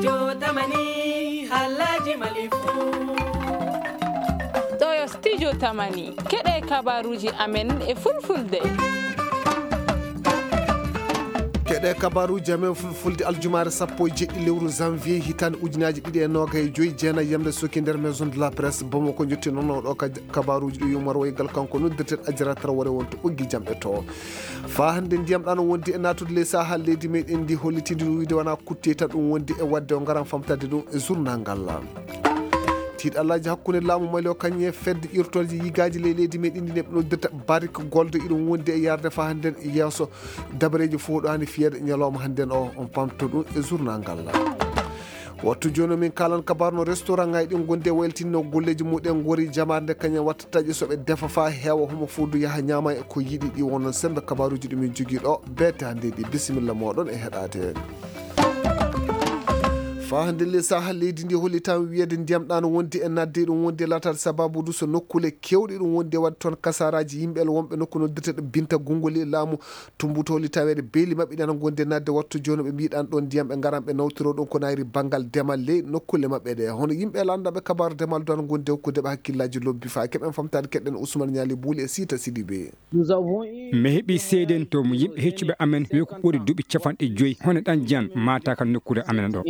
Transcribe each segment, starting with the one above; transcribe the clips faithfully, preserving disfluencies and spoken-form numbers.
Studio Tamani, halaji Mali fu. Ɗo yo Studio Tamani, keɗe kabaruji amen e fulfulde. Keɗe kabaruji amen fulfulde aljumaare sappo e jeɗɗi lewru janvier hitaande ujunaaji ɗiɗi e noogay e joyi, jeenayi yamde soki nder Maison de la Presse Bamako. Jotti noon oɗo ka-, kabaruji ɗi yumar waygal kanko noddirten Ajara Traoré wonto ɓoggi jamɗe to. Faa hannde ndiyam ɗan wondi e naatude ley sahaa leydi meɗen ndi hollitinde ɗum wiide wona kutte tan ɗum wondi e waɗde o ngaran famtade ɗum e journal ngal. Tiiɗallaaji hakkunde laamu Mali o kañum e fedde ƴirtooje yigaaji ley leydi meɗen ndi neɓe noddirta Barik Gold iɗum wondi e yarde faa hannden yeeso dabareeji fof ɗo hani fiyeede ñalawma hannden o on pamto ɗum e journal ngal. Wattu jooni min kalan kabaar no restaurant ngaji ɗin gondi e waylitinno golleeji muɗen ngori jamaare nde kañum watta taƴi so ɓe defa faa heewa homo fof du yaha ñaama e ko yiɗi ɗi wonno sembe kabaruji ɗi min jogii ɗo beete hannde ɗi bisimilla moɗon e heɗaade. Faa hannde le saha leydi ndi holli tan wiyeede ndiyam ɗan wondi e nadde ɗum wondi e laataade sababu du so nokkule kewɗe ɗum wondi e waɗde toon kasaraji yimɓe wonɓe nokku noddirteɗo Binta Gunguli laamu Tumbutooli taweede beeli maɓɓe ɗi ana ngondi e nadde wattu jooni ɓe mbiɗan ɗon ndiyam ɓe ngaran ɓe nawtiro ɗum ko nayri banngal demal ley nokkule maɓɓe ɗe. Hono yimɓe landaɓe kabaaru demal du ana ngondi e hokkude ɓe hakkillaaji lobbi faa keɓen famtaade keɗɗen Ousmane Ñaali Buuli e Siita Sidibe. Mi heɓi seedento mo yimɓe heccuɓe amen wi ko ɓuri duuɓi capanɗe joyi hono ɗan jiyan maata ka nokkuure amen ɗo.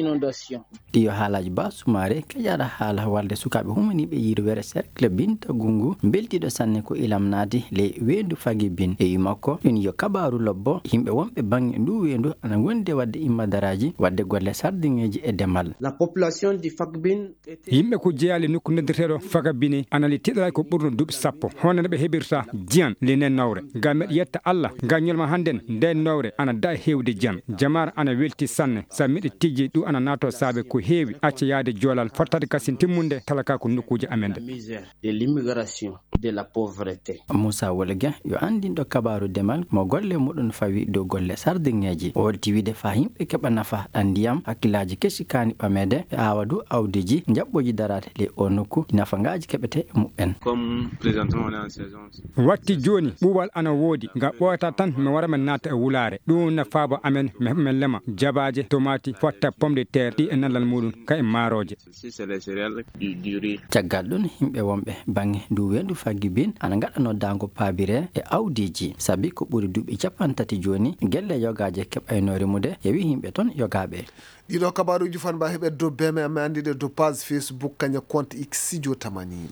Ɗi yo haalaaji Ba Sumaare, keƴaaɗo haala walde sukaaɓe humaniiɓe yirwere cercle Binta Gungu, mbeltiiɗo sanne ko ilam naati ley weendu Fagi Bin. E wi makko, ɗum yo kabaaru lobbo, yimɓe wonɓe baŋŋe nduu weendu ana ngondi e waɗde immadaraaji, waɗde golle sardiŋeeji e demal. La population di Fagbin était Yimɓe ko jeyaali nokku noddirteeɗo Fagabine ana li tiɗalay ko ɓurno duuɓi sappo. Hono no ɓe heɓirta jiyan ley nden nowre. Ngam meɗa yetta Alla, ngam ñolma hannden nden nowre ana daɗa heewde jiyan. Jamaare ana welti sanne, sabi miɗo tijji ɗum ana naatoo saabe ko heewi acca yaade joolal, fottade kasin timmunde talakaaku nokkuuji amen ɗe. La misère, de l'immigration, de la pauvreté. Moussa Wolge yo anndinɗo kabaaru demal mo golle muɗum fawi dow golle sardiŋeeji. O holti wiide faa yimɓe keɓa nafa ɗan ndiyam, hakkillaaji kesi kaani ɓameede e aawadu awdiji, njaɓɓooji daraade ley o nokku, nafa ngaaji keɓete e muɓɓen. Comme présentement on est en saison. Watti jooni ɓuuɓal ana woodi, nga ɓooyata tan mi wara mi naata e wulaare. Ɗum na faabo amen, mi heɓa min lema jabaaje, tomaati, fotta pomme de terre, ɗi e nallal muɗum, ka e maarooje. Caggal ɗum, yimɓe wonɓe baŋŋe ndu weendu Fagibin ana ngaɗanoo daango paabire e awdiiji, sabi ko ɓuri duuɓi capanɗe tati jooni, gelle yogaaje keɓayno rimude, yewi yimɓe toon yogaaɓe. Ɗiɗo kabaaruuji fanba heɓe dow beme amen anndi ɗe dow page Facebook kaña compte X Studio Tamani.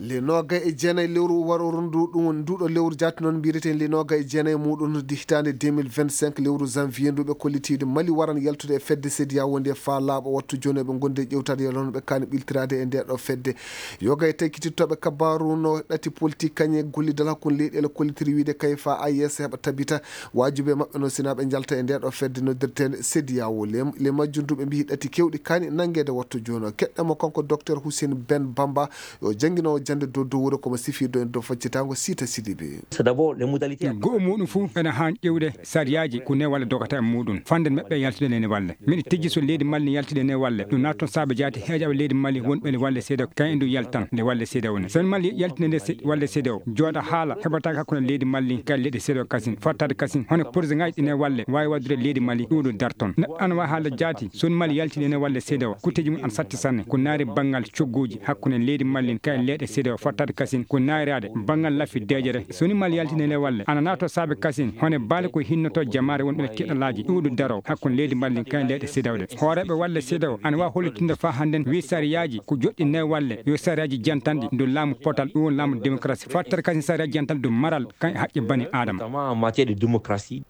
Le noogay e jeenayi lewru waro rundu ɗum woni nduɗo lewru jaati noon mbireten le noogay e jeenayi muɗum di hitaande deux mille vingt-cinq lewru janvier ndu ɓe kollitiiɗo Mali waran yaltude e fedde CEDEAO nde faa laaɓa wattu jooni eɓe ngondi e ƴewtaade yalano ɓe kaani ɓiltiraade e nde ɗo fedde. Yoga e taykitittooɓe kabaaru no ɗati politique kañe gollidal hakkunde leyɗeele kollitiri wiide kay faa A E S heɓa tabita waajube maɓɓe no sinaaɓe njalta e nde ɗo fedde noddirteende CEDEAO. Le, le majjum du ɓe mbiyi ɗati kewɗi kaani nanngeede wattu jooni o. Keɗɗamo kanko Docteur Hussein Ben Bamba yo jannginoowo jannde dow dow wuro komo sifirɗo en dow faccitaango Siita Sidibe. C'est d'abord les modalités. Go'o muɗum fuu ene haan ƴewde sariyaaji ko newalle dogata e muɗum. Fande maɓɓe yaltude nene walle. Miɗo tijji so leydi Mali ne yaltude nene walle. Ɗum naat toon saabe jaati heejaɓe leydi Mali wonɓe le walle seedewo. Kayen ɗum yaltan le walle seedewo ne. So Mali yaltinde nde se-, walle seedewo. Jooɗa haala heɓataake hakkunde leydi Mali kay leyɗe seedewo kasin. Fottaade kasin. Hono projet ngaji ɗi ne walle waawi waddude leydi Mali ɗuuɗo darton. Neɗɗo ana waawi haalde jaati. So Mali yaltinde nene walle seedewo. Kutteeji mum ana satti sanne. Ko naari banngal cogguuji hakkunde leydi Mali kay leyɗe seedewo. Fottaade kasin. Ko naayraade banngal laffi deejere. So ni Mali yaltinde le walle, ana naato saabe kasin, hone baale ko hinnoto jamaare wonɓe tiɗalaaji ɗuuɗo daro hakkunde leydi Mali kayen leyɗe seedewo ɗe. Hooreeɓe walle seedewo ana waawi hollitinde faa hannden wi sariyaaji ko joɗɗi ne walle, yo sariyaaji jantanɗi dow laamu potal, ɗum woni laamu démocratie. Fattere kasin sariyaaji jantanɗi dow maral kan e haqqe bani Aadama. Notamment en matière de démocratie.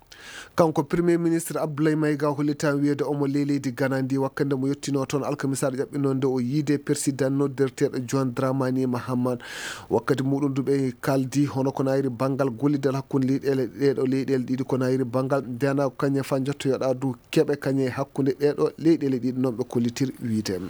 Kanko Premier Ministre Abdoulaye Maïga hollitaa wiyeede omo ley leydi Ghana ndi wakkande mo yettinoo toon alkamisaare ƴaɓɓinoo nde o yiide persidan noddirteeɗo John Dramani Mahama. Wakkati muɗum du ɓe kaaldi hono ko nayri banngal gollidal hakkunde leyɗeele, ɗeeɗo leyɗeele ɗiɗi ko nayri banngal ndeena kañe faa njottoyoɗaa du keɓe kañe hakkunde ɗeeɗo leyɗeele ɗiɗi noon ɓe kollitir wiide.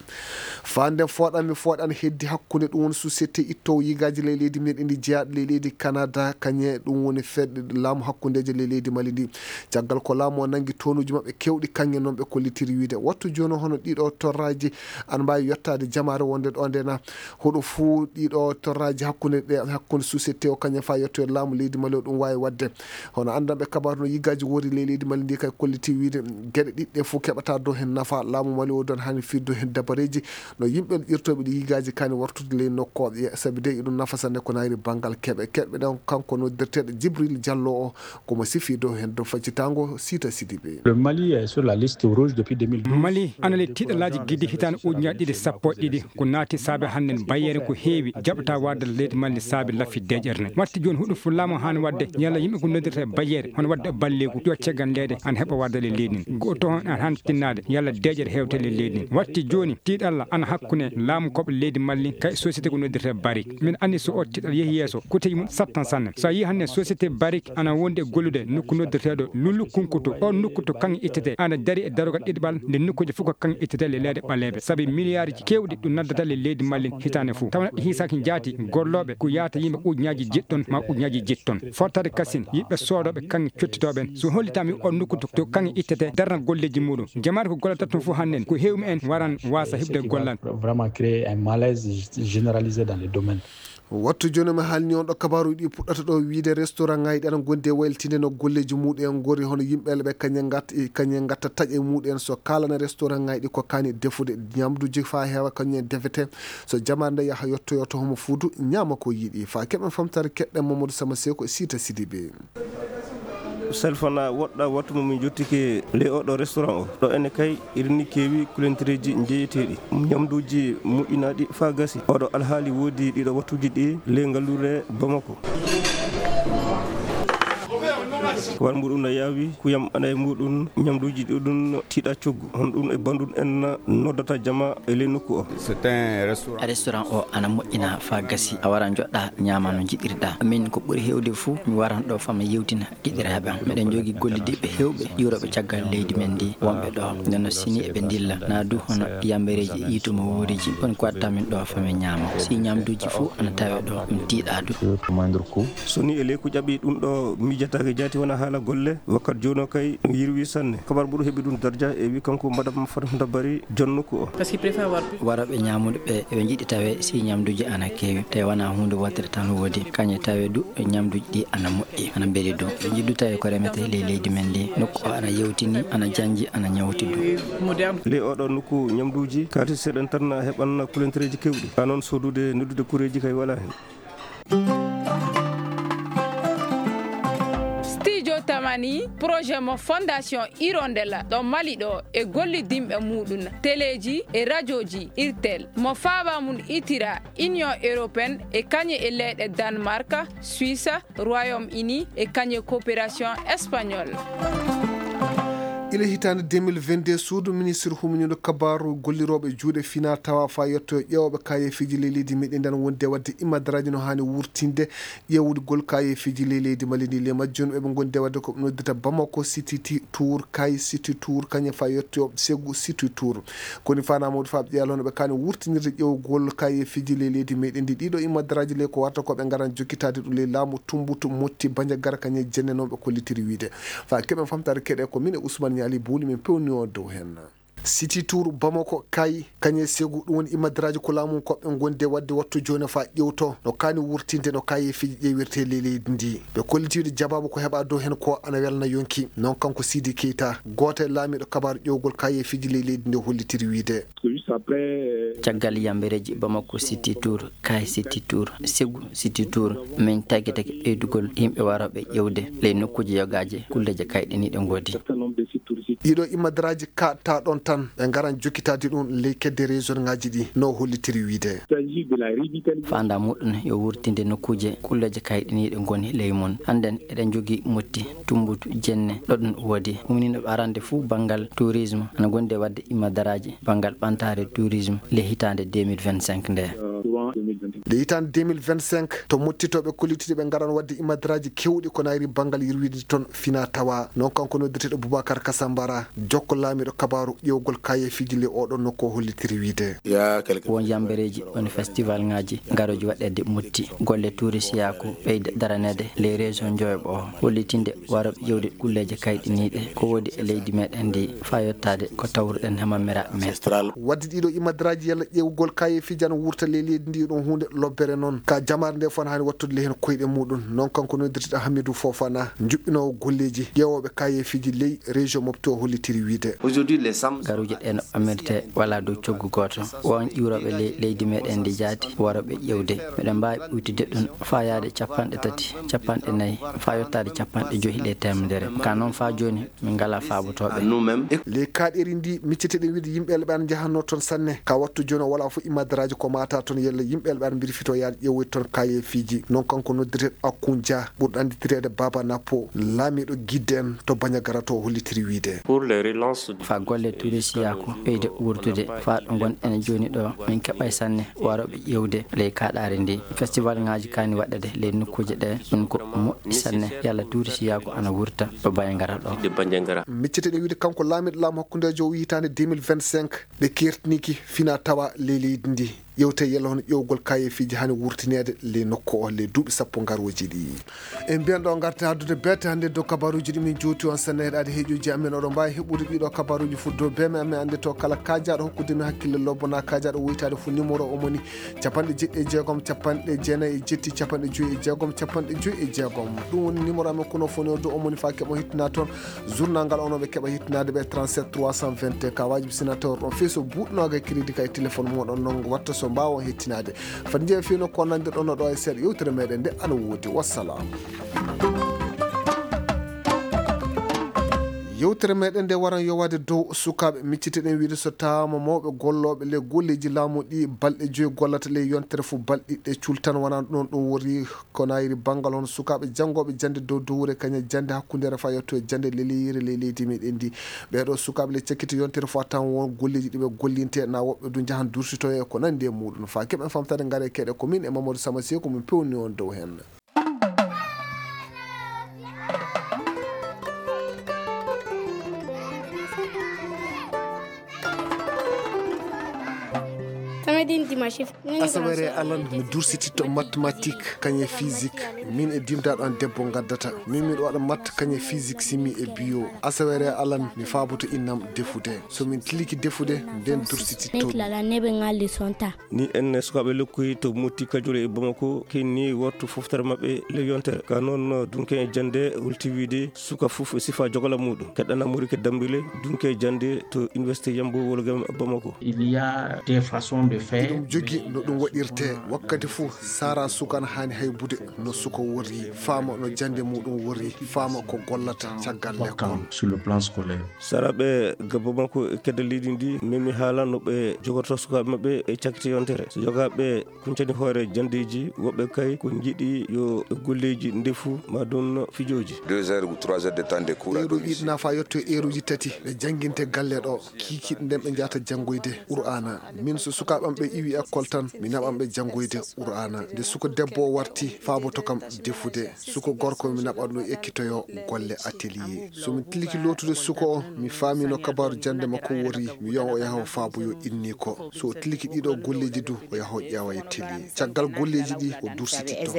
Faa nden fooɗan mi fooɗan heddi hakkunde ɗum woni société ittoowo yigaaji ley leydi meɗen ndi jeyaaɗo ley leydi Canada kañe ɗum woni fedde laamu hakkundeejo ley leydi Mali ndi. Caggal ko laamu o nanngi tonuuji maɓɓe keewɗi, kaŋŋe noon ɓe kollitiri wiyde wattu jooni, hono ɗiɗo torraaji ana mbaawi yottaade jamaare wonde ɗo nde na. Hoɗo fuu ɗiɗo torraaji hakkunde ɗe, hakkunde société o kañum faa yettoyde laamu leydi Mali o, ɗum waawi waɗde. Hono anndanɓe kabaaru no yigaaji woori ley leydi Mali ndi kay kolliti wiyde geɗe ɗiɗi ɗe fof keɓata dow heen nafa. Laamu Mali o don hani firdu heen dabareeji no yimɓe ƴirtooɓe ɗi yigaaji kani wartude ley nokku o, sabi de iɗum nafa sanne ko nayri banngal keɓe. Keɓe ɗon kanko noddirteeɗo Jibril Jallo o, komo sifi dow heen dow faccitango Sita Sidibe. Le Mali est sur la liste rouge depuis deux mille douze. Mali ana le tiiɗalaaji gidde hitaande ujunaaji ɗiɗi sappo e ɗiɗi. Ko naati saabe hannden bayeere ko heewi jaɓata warde leydi Mali saabe laffi deeƴere ne. Watti jooni huɗo fullaama haani waɗde yalla yimɓe ko noddirta e bayeere hono waɗde balleeku yo caggal leyde ana heɓa warde le leydi ndi. Go'o toon ana haani tinnaade yalla deeƴere hewte le leydi ndi. Watti jooni tiiɗalla ana hakkunde laamu koɓe leydi Mali kay société ko noddirta e Barik. Min anndi so o tiiɗal yehi yeeso, kuteeji mum sattan sanne. So a yii hannde société Barik ana wondi e gollude nokku noddirteeɗo Lulu Kunkutu. O nokku to kaŋŋe ittete ana dari e darogal ɗiɗaɓal nde nokkuuje fof ko kaŋŋe ittete le leyɗe ɓaleeɓe. Sabi miliyaaruji keewɗi ɗum naddata le leydi Mali hitaande fof. Tawa neɗɗo hiisaaki jaati gollooɓe ko yahata yimɓe ujunaaji jeɗɗon ma ujunaaji jeɗɗon. Fottade kasin yimɓe soodooɓe kaŋŋe cottitooɓe en. So hollitaama o nokku to, to kaŋŋe ittete darna golleeji muɗum. Jamaare ko gollata toon fof hannde ko heewmi en waran waasa heɓde gollal. Vraiment créer un malaise généralisé dans le domaine. Wattu jooni mi haalni on ɗo kabaaruuji ɗi puɗɗata ɗo wiyde restaurant ŋaaji ɗi ana ngondi e waylitinde no golleeji muɗum en ngori, hono yimɓe ɓe kañe ngat-, kañe ngatta taƴe muɗum en so kaalana restaurant ŋaaji ɗi ko kaani defude ñamduuji faa heewa kañum en defete. So jamaare nde yaha yottoyo to homo fuudu ñaama ko yiɗi. Faa keɓen famtare keɗɗen Mamadou Sama Seko e Sita Sidibe. Salfana woɗɗa wattu mo min jottike ley oɗo restaurant o. Ɗo ene kay irini keewi kulentereeji njeeyeteeɗi. Ñamduuji moƴƴinaaɗi faa gasi. Oɗo alhaali woodi ɗiɗo wattuuji ɗi ley ngallure Bamako. Ko war mbuɗum no yaawi, kuyam ana e muɗum, ñamduuji ɗuɗum tiiɗa coggu. Hono ɗum e banndum en noddata jama e ley nokku o. C'est un restaurant. Restaurant o ana moƴƴina faa gasi. A wara njoɗɗa ñaama no njiɗirɗa. Min ko ɓuri heewde fuu mi waran ɗo faa mi yewtina giɗiraaɓe am. Miɗen njogii gollidiiɓe heewɓe ƴuurooɓe caggal leydi men ndi wonɓe ɗo. Nden no sini eɓe ndilla. Naa du hono yambereeji iito mo wuuriji. Kono ko watta min ɗo faa min ñaama. Si ñamduuji fuu ana tawe ɗo, min tiiɗa du. So ni e ley ko ƴaɓi ɗum ɗo miijataake jaati wona haala golle. Wakkat jooni o kay ɗum yirwi sanne. Kabar ɓuru heɓi ɗum darja e wi kanko Madame Fatimata Bari, jon nokku o. Warooɓe ñaamude ɓe, eɓe njiɗi tawe si ñamduuji ana keewi. Tawi wona huunde wootere tan woodi. Kañe tawe du, ñamduuji ɗi ana moƴƴi, ana mbeli du. Ɓe njiɗi du tawi ko remete ley leydi men ndi. Nokku o ana yewtini, ana janji, ana ñawti du. Ley oɗo nokku ñamduuji, kaalis seeɗan tan heɓan kulentereeji keewɗi. Haa noon soodude, noddude kureeji kay wala heen. Studio Tamani, projet mo Fondation Hirondelle ɗo Mali ɗo e gollidinɓe muɗum, teleeji e rajooji Irtel, mo faaba mum itira Union Européenne e kañe e leyɗe Danemark, Suisse, Royaume-Uni e kañe coopération espagnole. Ila hitaande deux mille vingt-deux, suudu ministre humindiiɗo kabaaru gollirooɓe juuɗe fina tawa faa yetto ƴeewooɓe kaayeefiiji ley leydi meɗen ndi ana wondi e waɗde imadaraaji no haani wurtinde ƴeewgol kaayeefiiji ley leydi Mali ndi. Ley majjum eɓe ngondi e waɗde ko ɓe noddirta Bamako City Ti-, Tour, Kay City Tour, kañum faa yetto Ségou City Tour. Koni fana mawɗo faa ɓe ƴeewa hono ɓe kaani wurtinirde ƴeewgol kaayeefiiji ley leydi meɗen ndi. Ɗiɗo imadaraaji ley ko warta ko ɓe ngaran jokkitaade ɗum ley laamu Tumbutu, Motti, Banjagara, kañum e jenne noon ɓe kollitiri wiyde. Faa keɓen famtaare keɗe ko min e Ousmane Ñaali Bowli min pewni o dow heen. City Tour Bamako, Kay, kañum e Ségou, ɗum woni imadaraaji ko laamu ko ɓe ngondi e waɗde wattu jooni faa ƴeewto no kaani wurtinde no kaayeefiiji ƴeewirtee ley leydi ndi. Ɓe kolliti wiyde jabaabu ko heɓa dow heen ko ana welna yonki. Noon kanko Sidi Keita, gooto e laamiiɗo kabaaru ƴeewgol kaayeefiiji ley leydi ndi hollitiri wiyde. Caggal yambereeji Bamako City Tour, Kay City Tour, Ségou City Tour, min tagi tagi ɓeydugol yimɓe warooɓe ƴeewde ley nokkuuje yogaaje kulleeje kayɗiniiɗe ngoodi. Ɗiɗo imadaraaji kaɗta ɗoon tan, ɓe ngaran jokkitaade ɗum ley kedde région ŋaaji ɗi, no hollitiri wiyde. Faanda muɗum yo wurtinde nokkuuje kulleeje kayɗiniiɗe ngoni ley mum. Hannden eɗen njogii Motti, Tumbutu, Jenne, ɗo ɗum woodi. Umminooɓe arande fuu banngal tourisme, ana ngondi e waɗde imadaraaji banngal ɓamtaare tourisme ley hitaande deux mille vingt-cinq nde. Nde hitaande deux mille vingt-cinq, to mottitooɓe kollitiiɗo ɓe ngaran waɗde imadraaji keewɗi ko nayri banngal yirwiide toon fina tawa. Noon kanko noddirteeɗo Boubacar Kasambara, jokko laamiiɗo kabaaru ƴeewgol kayeefiiji ley oɗon nokku o hollitiri wiide. Won yambereeji, won festival ŋaaji, ngarooji waɗeede motti. Golle tuurisiyaaku ɓeyde daraneede ley région Njoyoɓo o. Hollitinde warooɓe ƴeewde kulleeje kayɗiniiɗe ko woodi e leydi meɗen ndi, faa yottaade ko tawruɗen hemammira men. Waɗde ɗiɗo imadraaji yalla ƴeewgol kayeefiiji ana wurta ley leydi ndi ɗum huunde lobbere noon. Ka jamaare nde fof ana haani wattude ley heen koyɗe muɗum. Noon kanko noddirteeɗo Hamidou Fofana, njuɓɓinoowo golleeji ƴeewooɓe kayeefiiji ley région Mopti o hollitiri wiide. Garuuje ɗe no ɓammirte wala dow coggu gooto. Won ƴiwrooɓe ley leydi meɗen ndi jaati warooɓe ƴeewde. Meɗen mbaawi ɓuytude ɗum faa yaade capanɗe tati, capanɗe nayi, faa yottaade capanɗe joyi ley teemedere. Ka noon faa jooni, min ngalaa faabotooɓe. Ley kaaɗeeri ndi, micceteɗen wiide yimɓe elɓe ana njahannoo toon sanne. Ka wattu jooni o walaa fof imadraaji ko maata toon yalla yimɓe elɓe ana mbirfitoo yaade ƴeewoyde toon kayeefiiji. Noon kanko noddirteeɗo Akun Dia, ɓurɗo annditireede Baaba Nappo, laamiiɗo Gidde en to Bañagara to o hollitiri wiide. Pour les relances du Faa golle tuurisiyaaku ɓeyde wuurtude, faa ɗo ngonɗen jooni ɗo, min keɓay sanne warooɓe ƴeewde ley kaaɗaari ndi. Festival ŋaaji kaani waɗeede ley nokkuuje ɗe, ɗum ko moƴƴi sanne, yalla tuurisiyaaku ana wurta ɗo Bañagara ɗo. De Bandiagara. Micceteɗen wiide kanko laamiiɗo laamu hakkundeejo o hitaande deux mille vingt-cinq, ɓe keertiniiki fina tawa ley leydi ndi. Ƴeewte yalla hono ƴeewgol kayeefiiji haani wurtineede ley nokku o ley duuɓi sappo ngarooji ɗi. En mbiyan ɗo ngarta addude beete hannde dow kabaruuji ɗi min jooti on sanne heɗaade heeƴuuji amen. Oɗon mbaawi heɓude ɗiɗo kabaruuji fof dow beme amen annde to kala kaajaaɗo hokkude mi hakkille lobbo na kaajaaɗo woytaade fof numéro o moni capanɗe jeɗɗi e jeegom, capanɗe jeenayi e jetti, capanɗe joyi e jeegom, capanɗe joyi e jeegom. Ɗum woni numéro amen kono fof ne o dow o moni faa keɓo hettina toon. Journal ngal onon ɓe keɓa hettinaade ɓe trente-sept trois cent vingt et un ka waajibi sinateur ɗon fii so buuɗnooga e crédit ka e téléphone muɗon noon watta so mbaawa hettinaade. Fadi njeya fii no ko nandirɗon no ɗo e seeɗa yewtere meɗen nde ana woodi. Wassalam. Yewtere meɗen nde waran yowaade dow sukaaɓe. Micciteɗen wiide so tawaama mawɓe gollooɓe ley golleeji laamu ɗi balɗe joyi gollata ley yontere fof balɗe ɗiɗi cultan wonaa ɗum ɗum wori. Ko nayri banngal hono sukaaɓe janngooɓe jannde dow dowre kañum jannde hakkundeere faa yetto e jannde leleyere ley leydi meɗen ndi. Ɓee ɗoo sukaaɓe le cakkiti yontere faa tan won golleeji ɗi ɓe gollinte na woɓɓe du njahan dursitoye ko nanndi e muɗum. Faa keɓen famtade ngare keɗe ko min e Mamadou Sama Seeku min pewni on dow heen. Samedi, dimanche. Asawere alan mi dursititto mathématique kañe physique. Min e dimdaɗo an debbo gaddata min miɗo waɗa matte kañe physique simi e bio. Asawere alan mi faaboto innam defude. So min tiliki defude nden dursititto. Neɓe ngalli sonta. Ni en sukaaɓe lokkuyi to motti kajole e bamako kenni wattu foftere maɓɓe ley yontere ka noon dunke e jannde holti wiide suka fof e sifa jogola muɗum keɗɗana mori ke dambile dunke e jannde to université yambo wolgam bamako. Il y a des façons de faire. Ɗum jogi no ɗum waɗirte wakkati fof sara suka na haani haybude no suka worri faama no jannde muɗum worri faama ko gollata caggal lekkol. Sur le plan scolaire. Saraɓe gabbo makko e kedde leydi ndi memi haala no ɓe jogorto sukaaɓe maɓɓe e cakkite yontere so jogaaɓe kuncani hoore janndeeji woɓɓe kay ko njiɗi yo e golleeji ndefu ma ɗum fijooji. Deux heures ou trois heures de temps de cours à domicile. Ɗiɗi nafa yetto e eeruji tati ɓe jannginte galle ɗo kiikiiɗe nden ɓe njahata janngoyde qur'aana. Min so sukaaɓe am ɓe iwi école tan mi naɓan ɓe janngoyde qur'aana nde suka debbo o warti faaboto kam defude. Suka gorko mi naɓan ɗum ekkitoyo golle atelier. So mi tiliki lootude suka o mi faami no kabaaru jannde makko wori mi wiyan o yaha o faaboyo inni ko so o tiliki ɗiɗo golleeji du o yaha o ƴeewa e télé caggal golleeji ɗi o dursititto.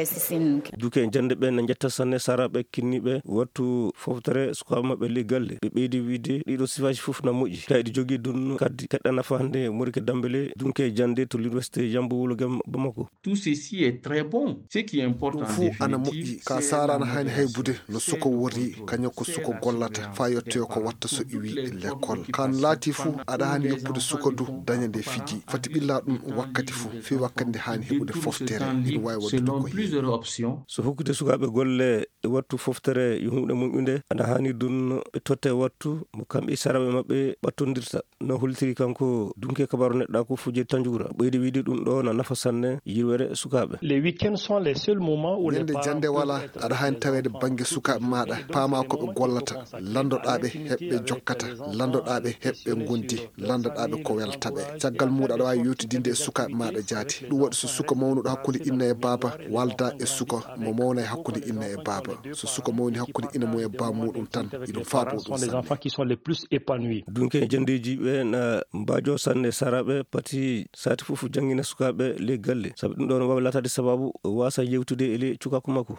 Duke jannde ɓe na njetta sanne sara ɓe kinniɓe wattu foftere sukaaɓe maɓɓe ley galle ɓe ɓeydi wiide ɗiɗo sifaaji fof na moƴƴi kayɗi jogii ɗum kadi keɗɗa nafa hannde morike dambele dunke jannde to l'université yambo wulogam bamako. Tout ceci est très bon. Ce qui importe ɗum en fuu ana moƴƴi définitive ka c'est sara ana la haani haybude no suka worri kañum ko suka gollata faa yettoyo ko watta so iwi lekkol kan laati fuu aɗa haani yoppude suka du daña nde fiji foti ɓilla ɗum wakkati fuu fii wakkati nde haani heɓude foftere ina waawi waɗude selon ko heewi. Plusieurs options. So hokkude sukaaɓe golle e wattu foftere yo huunde moƴƴunde ana haani ɗum ɓe totte wattu mo kamɓe e saraɓe maɓɓe ɓattondirta. No hollitiri kanko dunke kabaru neɗɗa ko fujje tanjugol. Ɓeydi wiide ɗum ɗo na nafa sanne yirwere sukaaɓe. Les week-ends sont les seuls moments où les Ñande jannde wala, aɗa haani taweede bannge sukaaɓe maaɗa, paamaa ko ɓe gollata, lanndoɗaa ɓe, heɓɓe jokkata, lanndoɗaa ɓe, heɓɓe ngondi, lanndoɗaa ɓe ko welta ɓe. Caggal muuɗum aɗa waawi yewtidinde e sukaaɓe maaɗa jaati. Ɗum waɗi so suka mawnuɗo hakkunde inna e baaba walda e suka mo mawna e hakkunde inna e baaba. So suka mawni hakkunde ina mum e baaba muuɗum tan, iɗum faabo ɗum sanne. Dunke e janndeeji ɓe na mbaajo sanne saraaɓe pati sati fof janngina sukaaɓe ley galle. Sabu ɗum ɗon waawi laataade sababu waasa yewtude e ley cukaaku makko.